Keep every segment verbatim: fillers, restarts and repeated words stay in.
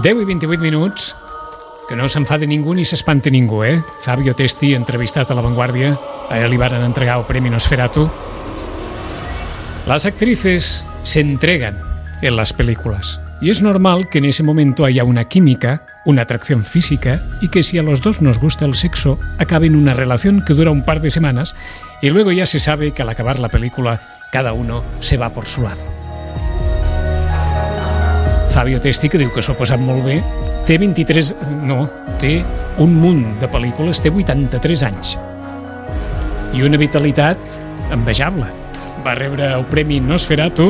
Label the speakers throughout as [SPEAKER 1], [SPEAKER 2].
[SPEAKER 1] deu i vint-i-vuit minuts, que no s'enfade ningú ni s'espante ningú, eh? Fabio Testi, entrevistat a La Vanguardia, a él li van entregar el Premi Nosferatu. Las actrices se entregan en las películas y es normal que en ese momento haya una química, una atracción física y que si a los dos nos gusta el sexo, acabe en una relación que dura un par de semanas y luego ya se sabe que al acabar la película cada uno se va por su lado. Fabio Testi, que diu que s'ho ha passat molt bé, té vint-i-tres... no, té un munt de pel·lícules, té vuitanta-tres anys. I una vitalitat envejable. Va rebre el Premi Nosferatu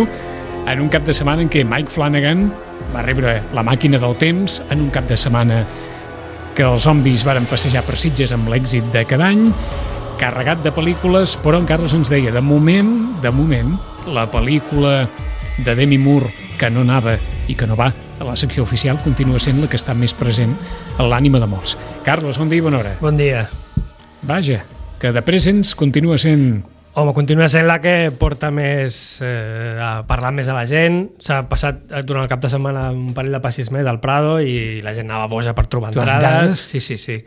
[SPEAKER 1] en un cap de setmana en què Mike Flanagan va rebre La màquina del temps, en un cap de setmana que els zombis varen passejar per Sitges amb l'èxit de cada any, carregat de pel·lícules, però en Carlos ens deia, de moment, de moment, la pel·lícula de Demi Moore que no anava i que no va a la secció oficial continua sent la que està més present a l'ànima de molts. Carlos, bon dia i bona hora.
[SPEAKER 2] Bon dia.
[SPEAKER 1] Vaja, que de Presents continua sent...
[SPEAKER 2] Home, continua sent la que porta més eh, a parlar més a la gent. S'ha passat durant el cap de setmana un parell de passis més al Prado i la gent anava boja per trobar entrades. Sí, sí, sí.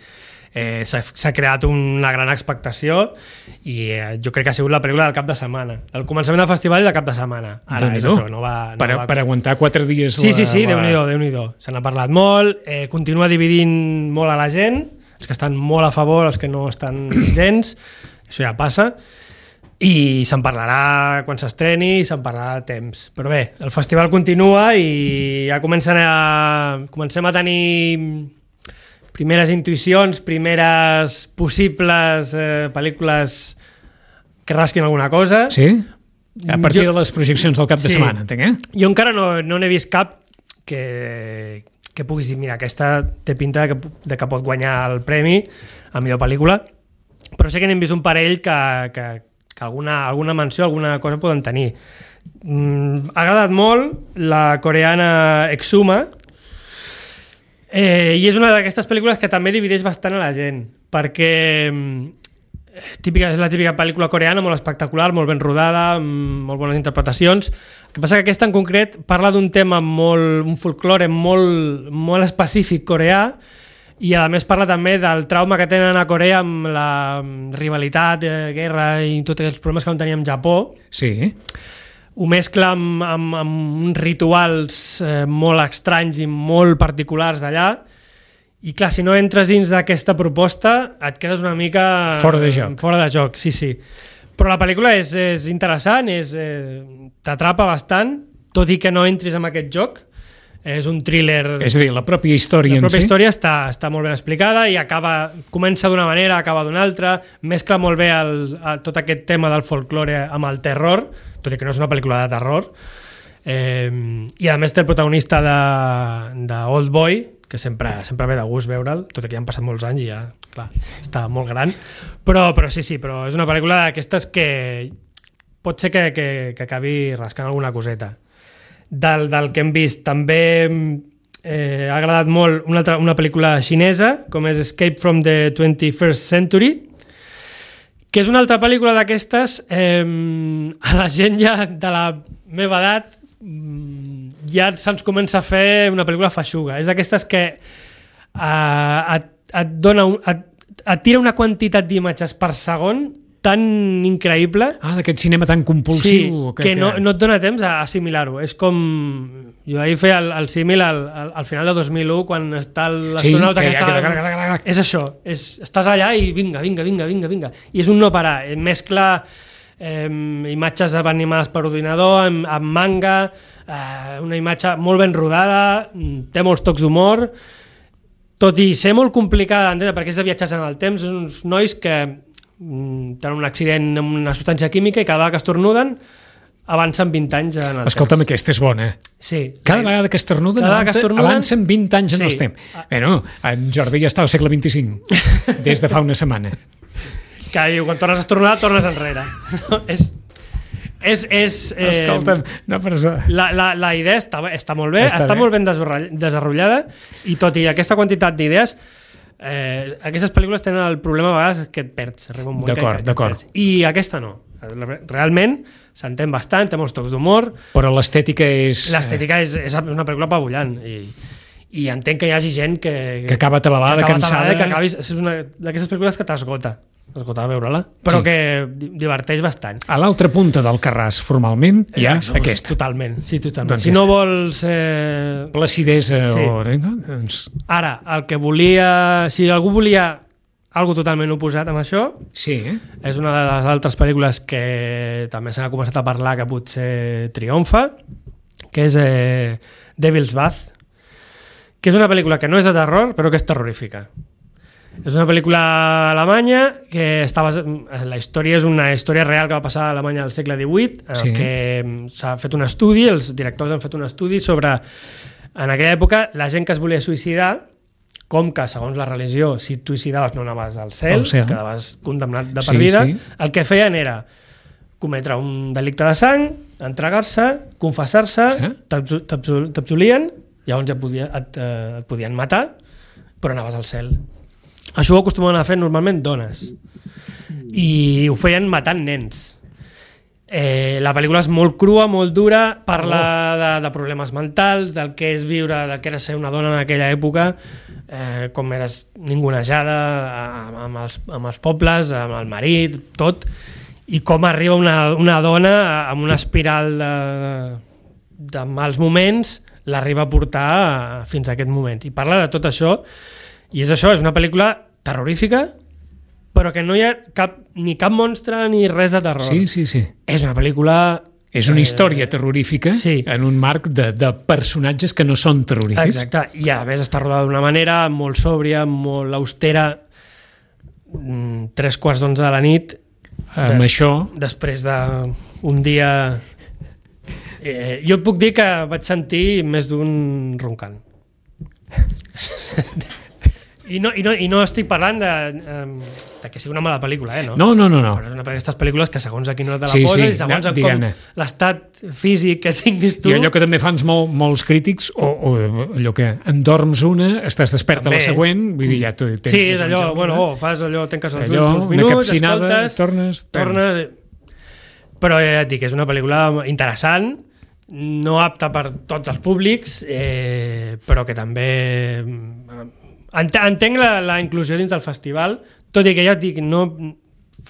[SPEAKER 2] Eh, s'ha, s'ha creat una gran expectació i eh, jo crec que ha sigut la pel·lícula del cap de setmana, del començament del festival i del cap de setmana. Ara és això, no va, no
[SPEAKER 1] per,
[SPEAKER 2] va...
[SPEAKER 1] per aguantar quatre dies
[SPEAKER 2] sí,
[SPEAKER 1] la,
[SPEAKER 2] sí, sí,
[SPEAKER 1] la...
[SPEAKER 2] Déu-n'hi-do, Déu-n'hi-do. Se n'ha parlat molt, eh, continua dividint molt a la gent, els que estan molt a favor, els que no estan gens, això ja passa, i se'n parlarà quan s'estreni i se'n parlarà a temps. Però bé, el festival continua i ja comencen a, comencem a tenir primeres intuïcions, primeres possibles eh, pel·lícules que rasquin alguna cosa.
[SPEAKER 1] Sí? A partir
[SPEAKER 2] jo,
[SPEAKER 1] de les projeccions del cap de
[SPEAKER 2] sí.
[SPEAKER 1] setmana, entenc, eh?
[SPEAKER 2] Jo encara no, no n'he vist cap que, que puguis dir, mira, aquesta té pinta de que, de que pot guanyar el premi a millor pel·lícula, però sé que n'hem vist un parell que, que, que alguna, alguna menció, alguna cosa poden tenir. Mm, ha agradat molt la coreana Exuma, Eh, i és una d'aquestes pel·lícules que també divideix bastant a la gent, perquè típica, és la típica pel·lícula coreana molt espectacular, molt ben rodada, molt bones interpretacions. El que passa que aquesta en concret parla d'un tema molt, un folklore molt, molt específic coreà i a més parla també del trauma que tenen a Corea amb la rivalitat, eh, guerra i tots els problemes que van tenir amb Japó.
[SPEAKER 1] Sí.
[SPEAKER 2] Ho mescla amb, amb, amb uns rituals eh, molt estranys i molt particulars d'allà i clar, si no entres dins d'aquesta proposta et quedes una mica
[SPEAKER 1] fora de joc,
[SPEAKER 2] fora de joc sí, sí. Però la pel·lícula és, és interessant, és, eh, t'atrapa bastant, tot i que no entris en aquest joc. És un thriller...
[SPEAKER 1] És a dir, la pròpia història
[SPEAKER 2] la pròpia
[SPEAKER 1] en si...
[SPEAKER 2] història està, està molt ben explicada i acaba, comença d'una manera, acaba d'una altra, mescla molt bé el, el, tot aquest tema del folklore amb el terror, tot i que no és una pel·lícula de terror, eh, i a més té el protagonista de, de Old Boy, que sempre, sempre ve de gust veure'l, tot i que ja han passat molts anys i ja, clar, està molt gran, però, però sí, sí, però és una pel·lícula d'aquestes que pot ser que, que, que acabi rascant alguna coseta. Del, del que hem vist també eh, ha agradat molt una, altra, una pel·lícula xinesa com és Escape from the twenty-first century, que és una altra pel·lícula d'aquestes eh, a la gent ja de la meva edat ja se'ns comença a fer una pel·lícula feixuga, és d'aquestes que eh, et, et dona un, et, et tira una quantitat d'imatges per segon tan increïble.
[SPEAKER 1] Ah, d'aquest cinema tan compulsiu.
[SPEAKER 2] Sí, que,
[SPEAKER 1] que
[SPEAKER 2] no, no et dona temps a assimilar-ho. És com... Jo ahir feia el, el símil al, al, al final de dos mil u, quan està l'astronauta
[SPEAKER 1] sí,
[SPEAKER 2] que,
[SPEAKER 1] que
[SPEAKER 2] està...
[SPEAKER 1] ja,
[SPEAKER 2] és això. És, estàs allà i vinga, vinga, vinga, vinga, vinga. I és un no parar. Mescla eh, imatges animades per ordinador, amb, amb manga, eh, una imatge molt ben rodada, té molts tocs d'humor, tot i ser molt complicada d'entendre perquè és de viatges en el temps, uns nois que tenen un accident amb una substància química i cada vegada que estornuden avancen vint anys en el
[SPEAKER 1] Escolta'm,
[SPEAKER 2] temps.
[SPEAKER 1] aquesta és bona.
[SPEAKER 2] Sí.
[SPEAKER 1] Cada vegada que estornuden,
[SPEAKER 2] vegada que estornuden
[SPEAKER 1] avancen vint anys en
[SPEAKER 2] sí.
[SPEAKER 1] el temps. Bueno, en Jordi ja està al segle vint-i-cinc, des de fa una setmana.
[SPEAKER 2] Que diu, quan tornes a estornudar, tornes enrere. No, és... És, és,
[SPEAKER 1] eh, Escolta'm, no, però això...
[SPEAKER 2] la, la, la idea està, està molt bé, està, està bé. molt ben desenrotllada i tot i aquesta quantitat d'idees Eh, aquestes pel·lícules tenen el problema a vegades que et perds, arriba un moment
[SPEAKER 1] d'acord,
[SPEAKER 2] que,
[SPEAKER 1] d'acord.
[SPEAKER 2] que et perds. I aquesta no, realment s'entén bastant, té molts tocs d'humor,
[SPEAKER 1] però l'estètica és...
[SPEAKER 2] l'estètica és, és una pel·lícula apabullant i, i entenc que hi hagi gent que...
[SPEAKER 1] Que acaba atabalada,
[SPEAKER 2] que acaba
[SPEAKER 1] cansada...
[SPEAKER 2] Que acabis, és una d'aquestes pel·lícules que t'esgota. T'esgota a veure-la, però sí. que diverteix bastant.
[SPEAKER 1] A l'altra punta del Carràs, formalment, hi ha
[SPEAKER 2] Exhaust,
[SPEAKER 1] aquesta.
[SPEAKER 2] Totalment, sí, totalment.
[SPEAKER 1] Doncs
[SPEAKER 2] si
[SPEAKER 1] ja
[SPEAKER 2] no
[SPEAKER 1] està.
[SPEAKER 2] vols... Eh...
[SPEAKER 1] Placidesa
[SPEAKER 2] Sí.
[SPEAKER 1] o... No? Doncs...
[SPEAKER 2] Ara, el que volia... Si algú volia algo totalment oposat amb això,
[SPEAKER 1] Sí, eh?
[SPEAKER 2] és una de les altres pel·lícules que també se n'ha començat a parlar que potser triomfa, que és eh, Devil's Bath, que és una pel·lícula que no és de terror, però que és terrorífica. És una pel·lícula alemanya que està bas... la història és una història real que va passar a Alemanya al segle divuit, en sí. que s'ha fet un estudi, els directors han fet un estudi sobre, en aquella època, la gent que es volia suïcidar, com que, segons la religió, si et suïcidaves no anaves al cel,
[SPEAKER 1] cel.
[SPEAKER 2] quedaves condemnat de per
[SPEAKER 1] Sí,
[SPEAKER 2] vida,
[SPEAKER 1] sí.
[SPEAKER 2] el que feien era cometre un delicte de sang, entregar-se, confessar-se,
[SPEAKER 1] Sí.
[SPEAKER 2] t'abso- t'abso- t'absolien, llavors ja podia, et, eh, et podien matar, però anaves al cel. Això ho acostumen a fer normalment dones i ho feien matant nens. Eh, la pel·lícula és molt crua, molt dura, parla oh. de, de problemes mentals, del que és viure, del que era ser una dona en aquella època, eh, com eres ningunejada amb, amb, els, amb els pobles, amb el marit, tot, i com arriba una, una dona amb una espiral de, de mals moments, l'arriba a portar fins a aquest moment. I parla de tot això, i és això, és una pel·lícula terrorífica, però que no hi ha cap, ni cap monstre ni res de terror.
[SPEAKER 1] Sí, sí, sí.
[SPEAKER 2] És una pel·lícula...
[SPEAKER 1] És una
[SPEAKER 2] eh,
[SPEAKER 1] història terrorífica
[SPEAKER 2] sí.
[SPEAKER 1] en un marc de, de personatges que no són terrorífics.
[SPEAKER 2] Exacte, i a més està rodada d'una manera molt sòbria, molt austera, tres quarts d'onze de la nit,
[SPEAKER 1] Amb
[SPEAKER 2] des,
[SPEAKER 1] això...
[SPEAKER 2] després d'un dia... Eh, jo et puc dir que vaig sentir més d'un roncant. I no, i, no, I no estic parlant de, de que sigui una mala pel·lícula, eh? No,
[SPEAKER 1] No, no, no. no.
[SPEAKER 2] Però és una d'aquestes pel·lícules que segons a quina hora te la
[SPEAKER 1] Sí,
[SPEAKER 2] poses
[SPEAKER 1] sí,
[SPEAKER 2] i segons
[SPEAKER 1] no,
[SPEAKER 2] com
[SPEAKER 1] diguem-ne.
[SPEAKER 2] l'estat físic que tinguis tu...
[SPEAKER 1] I allò que també fans molt, molts crítics, o, o allò que endorms una, estàs desperta
[SPEAKER 2] També.
[SPEAKER 1] la següent, vull dir, ja tu tens...
[SPEAKER 2] Sí,
[SPEAKER 1] més
[SPEAKER 2] és
[SPEAKER 1] o
[SPEAKER 2] allò,
[SPEAKER 1] menys el-
[SPEAKER 2] bueno, oh, fas allò, tanques els
[SPEAKER 1] allò,
[SPEAKER 2] ulls uns
[SPEAKER 1] una
[SPEAKER 2] minuts,
[SPEAKER 1] capcinada,
[SPEAKER 2] escoltes,
[SPEAKER 1] tornes...
[SPEAKER 2] tornes... Però ja et dic, és una pel·lícula interessant, no apta per tots els públics, eh, però que també... Ent- Entenc la, la inclusió dins del festival, tot i que ja et dic, no,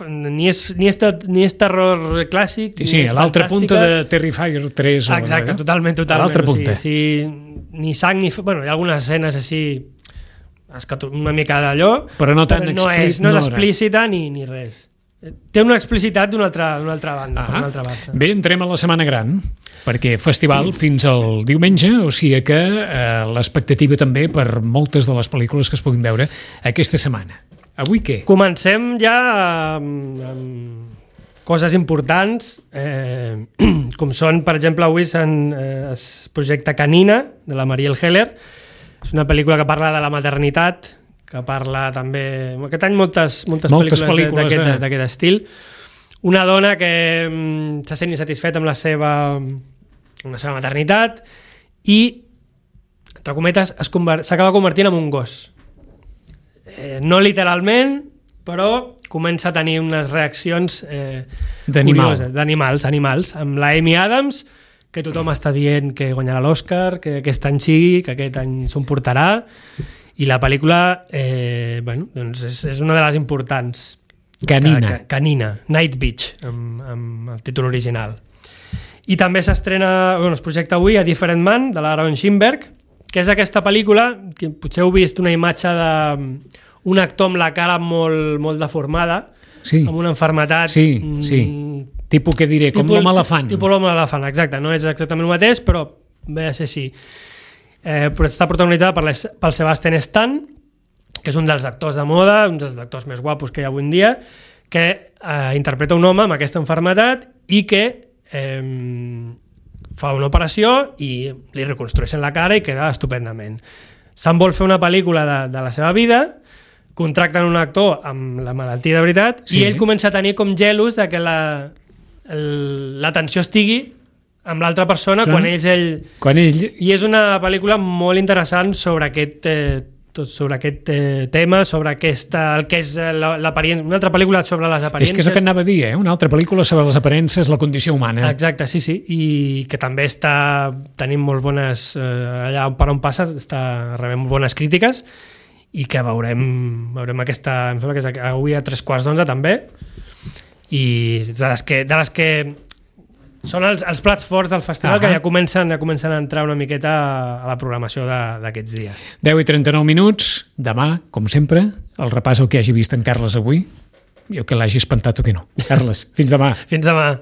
[SPEAKER 2] ni, és, ni, és, ter- ni és terror clàssic,
[SPEAKER 1] Sí, sí,
[SPEAKER 2] ni és
[SPEAKER 1] a l'altra punta
[SPEAKER 2] fantàstica.
[SPEAKER 1] de Terrifier tres. o-
[SPEAKER 2] Exacte, totalment, totalment.
[SPEAKER 1] A l'altra
[SPEAKER 2] O
[SPEAKER 1] punta.
[SPEAKER 2] sigui, sí, ni sang ni... Bueno, hi ha algunes escenes així escato- una mica d'allò,
[SPEAKER 1] Però no tan
[SPEAKER 2] no
[SPEAKER 1] explí-
[SPEAKER 2] és, no és
[SPEAKER 1] no era.
[SPEAKER 2] explícita ni, ni res. Té una explicitat d'una altra, d'una altra banda.
[SPEAKER 1] Ah,
[SPEAKER 2] per una altra banda.
[SPEAKER 1] bé, entrem a la Setmana Gran, perquè festival fins al diumenge, o sigui que eh, l'expectativa també per moltes de les pel·lícules que es puguin veure aquesta setmana. Avui què?
[SPEAKER 2] Comencem ja amb, amb coses importants, eh, com són, per exemple, avui se'n, eh, es projecta Canina, de la Marielle Heller. És una pel·lícula que parla de la maternitat, que parla també... Aquest any moltes, moltes,
[SPEAKER 1] Moltes
[SPEAKER 2] pel·lícules
[SPEAKER 1] pel·lícules,
[SPEAKER 2] d'aquest
[SPEAKER 1] eh?
[SPEAKER 2] d'aquest estil. Una dona que mm, se sent insatisfeta amb la seva, amb la seva maternitat i, entre cometes, es conver- s'acaba convertint en un gos. Eh, no literalment, però comença a tenir unes reaccions eh,
[SPEAKER 1] D'animal.
[SPEAKER 2] curioses, d'animals, animals, amb la Amy Adams, que tothom està dient que guanyarà l'Oscar, que aquest any sigui, que aquest any s'ho portarà, i la pel·lícula eh, bueno, doncs és, és una de les importants.
[SPEAKER 1] Canina.
[SPEAKER 2] Que, que, Canina, Night Beach, amb, amb el títol original. I també s'estrena, bueno, es projecta avui A Different Man, de l'Aaron Schimberg, que és aquesta pel·lícula, que potser heu vist una imatge d'un actor amb la cara molt, molt deformada,
[SPEAKER 1] Sí.
[SPEAKER 2] amb una enfermetat...
[SPEAKER 1] Sí, sí. Tipus, què diré, com l'home elefant.
[SPEAKER 2] Tipus l'home elefant, exacte. No és exactament el mateix, però ve a ser així. Eh, però està protagonitzada per les, pel Sebastian Stan, que és un dels actors de moda, un dels actors més guapos que hi ha avui en dia, que eh, interpreta un home amb aquesta enfermetat i que eh, fa una operació i li reconstrueixen la cara i queda estupendament. Se'n vol fer una pel·lícula de, de la seva vida, contracten un actor amb la malaltia de veritat,
[SPEAKER 1] Sí.
[SPEAKER 2] i ell comença a tenir com gelos de que la, el, l'atenció estigui amb l'altra persona
[SPEAKER 1] Sí.
[SPEAKER 2] quan ell, ell...
[SPEAKER 1] Quan ell...
[SPEAKER 2] I és una pel·lícula molt interessant sobre aquest, eh, tot sobre aquest eh, tema, sobre aquesta, el que és l'aparença, una altra pel·lícula sobre les aparences.
[SPEAKER 1] És que és el que anava a dir, eh? Una altra pel·lícula sobre les aparences, la condició humana.
[SPEAKER 2] Exacte, sí, sí, i que també està tenint molt bones, eh, allà per on passa, està rebent molt bones crítiques, i que veurem, veurem aquesta, em sembla que és avui a tres quarts d'onze també, i de les que, de les que són els, els plats forts del festival, uh-huh, que ja comencen, ja comencen a entrar una miqueta a la programació d'aquests dies.
[SPEAKER 1] deu i trenta-nou minuts, demà, com sempre, el repàs el que hagi vist en Carles avui, i el que l'hagi espantat o que no. Carles, fins demà.
[SPEAKER 2] Fins demà.